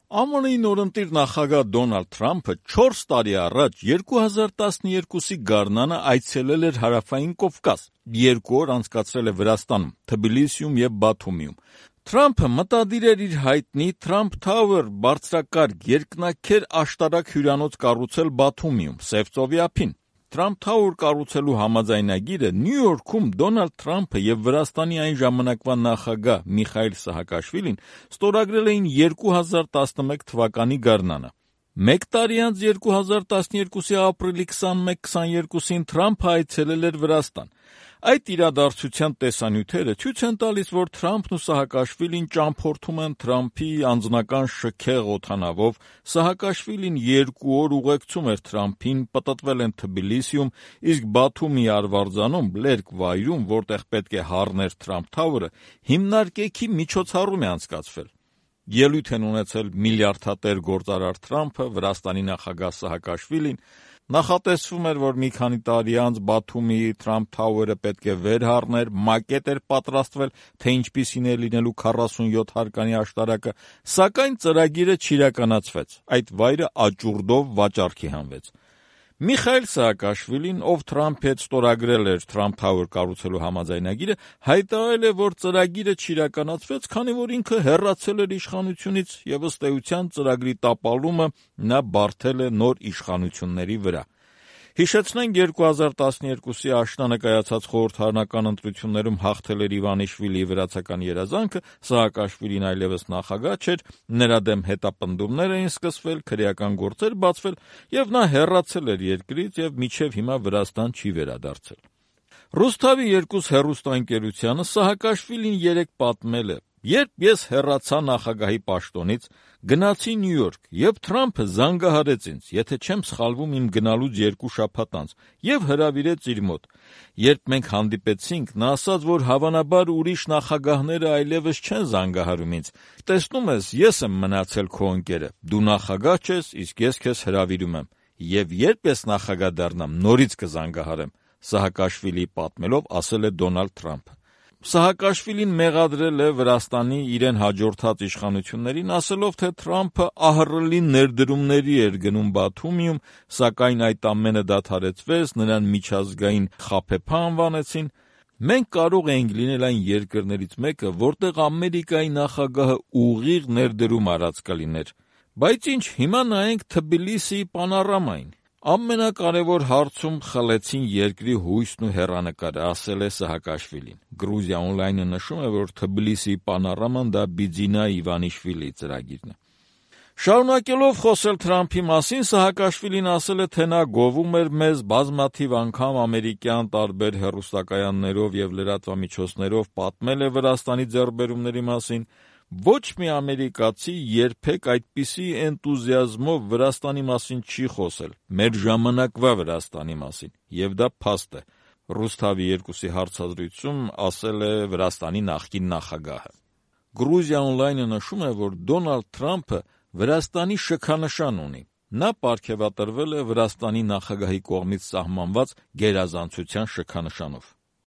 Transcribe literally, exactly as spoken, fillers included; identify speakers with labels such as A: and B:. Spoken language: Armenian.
A: Է Մ Ն-ի նորընտիր նախագահ Դոնալդ Թրամփը չորս տարի առաջ երկու հազար տասնյոթի գարնանը այցելել էր Հարավային Կովկաս, երկու օր անցկացրել է Վրաստանում, Թբիլիսիում և Բաթումիում։ Թրամփը մտադիր էր իր հայտնի Trump Tower բարձրակարգ երկնաքեր աշտարակ հյուրանոց կառուցել Բաթումիում, Սև ծովի ափին։ Trump Tower կառուցելու համաձայնագիրը Նյու Յորքում Դոնալդ Թրամփը եւ Վրաստանի այն ժամանակվա նախագահ Միխայիլ Սահակաշվիլին ստորագրել էին երկու հազար տասնմեկ թվականի գարնանը։ Մեկ տարի անց երկու հազար տասնյոթի ապրիլի քսանմեկ քսաներկուսին Թրամփը այցելել էր Վրաստան։ Այդ իրադարձության տեսանյութերը ցույց են տալիս, որ Թրամփն ու Սահակաշվիլին ճամփորդում են Թրամփի անձնական շքեղ օդանավով, Սահակաշվիլին երկու օր ուղեկցում էր Թրամփին, պտտվել են Թբիլիսիում, իսկ Բաթումի Արվարձանում, լերկ վայրում, որտեղ պետք է հառներ Trump Tower-ը, հիմնարկեքի միջոցառում է անցկացվել։ Ելույթ են ունեցել միլիարդատեր գործարար Թրամփը, Վրաստանի նախագահ Սահակաշվիլին։ Նախատեսվում էր, որ մի քանի տարի անց Բաթումի Trump Tower-ը պետք է վեր հառներ, մակետ էր պատրաստվել, թե ինչպիսին է լինելու քառասունյոթ հարկանի աշտարակը, սակայն ծրագիրը չիրականացվեց, այդ վայրը աճուրդով վաճառքի հանվեց։ Միխայիլ Սահակաշվիլին, ով Թրամփի հետ ստորագրել էր Trump Tower կառուցելու համաձայնագիրը, հայտարարել է, որ ծրագիրը չիրականացվեց, քանի որ ինքը հեռացել էր իշխանությունից եւ ըստ էության ծրագրի տապալումը նա բարդել է նոր իշխանությունների վրա։ Հիշեցնենք երկու հազար տասնյոթի աշնանը կայացած խորհրդարանական ընտրություններում հաղթել էր Իվանիշվիլիի վրացական երազանքը, Սահակաշվիլին այլևս նախագահ չէր, նրա դեմ հետապնդումներ էին սկսվել, քրեական գործեր բացվել եւ նա հեռացել էր երկրից եւ մինչեւ հիմա Վրաստան չի վերադարձել։ Ռուսթավի երկուս հեռուստաընկերությանը Սահակաշվիլին երեկ պատմել է. «Երբ ես հեռացա նախագահի պաշտոնից, գնացի Նյու Յորք եւ Թրամփը զանգահարեց ինձ, եթե չեմ սխալվում իմ գնալուց երկու շաբաթ անց, եւ հրավիրեց իր մոտ։ Երբ մենք հանդիպեցինք, նա ասաց, որ հավանաբար ուրիշ նախագահները այլևս չեն զանգահարում ինձ։ Տեսնում ես, ես եմ մնացել քո ընկերը, դու նախագահ չես, իսկ ես քեզ հրավիրում եմ, եւ երբ ես նախագահ դառնամ, նորից կզանգահարեմ», Սահակաշվիլիի պատմելով ասել է Դոնալդ Թրամփը։ Սահակաշվիլին մեղադրել է Վրաստանի իրեն հաջորդած իշխանություններին, ասելով, թե Թրամփը ահռելի ներդրումների էր գնում Բաթումիում, սակայն այդ ամենը դադարեցվեց, նրան միջազգային խաբեբա անվանեցին։ Մենք կարող էինք լինել այն երկրներից մեկը, որտեղ Ամերիկայի նախագահը ուղիղ ներդրում արած կլիներ։ Բայց ինչ, հիմա նայենք Թբիլիսիի պանորամային։ Ամենակարևոր հարցում խլեցին երկրի հույսն ու հեռանկարը, ասել է Սահակաշվիլին։ Գրուզիա օնլայնը նշում է, որ Թբիլիսիի պանոraման դա Բիձինա Իվանիշվիլիի ծրագիրն է։ Շարունակելով խոսել Թրամփի մասին, Սահակաշվիլին ասել է, թե նա գովում էր մեզ բազմաթիվ անգամ ամերիկյան տարբեր հեռուստակայաններով եւ լրատվամիջոցներով պատմել է Վրաստանի ձեռքբերումների մասին։ Ոչ մի ամերիկացի երբեք այդպիսի էնտուզիազմով Վրաստանի մասին չի խոսել, մեր ժամանակվա Վրաստանի մասին, եւ դա փաստ է, Ռուսթավի երկուսի հարցազրույցում ասել է Վրաստանի նախկին նախագահը։ Գրուզիա օնլայնը նշում է, որ Դոնալդ Թրամփը Վրաստանի շքանշան ունի։ Նա պարգևատրվել է Վրաստանի նախագահի կողմից սահմանված գերազանցության շքանշանով։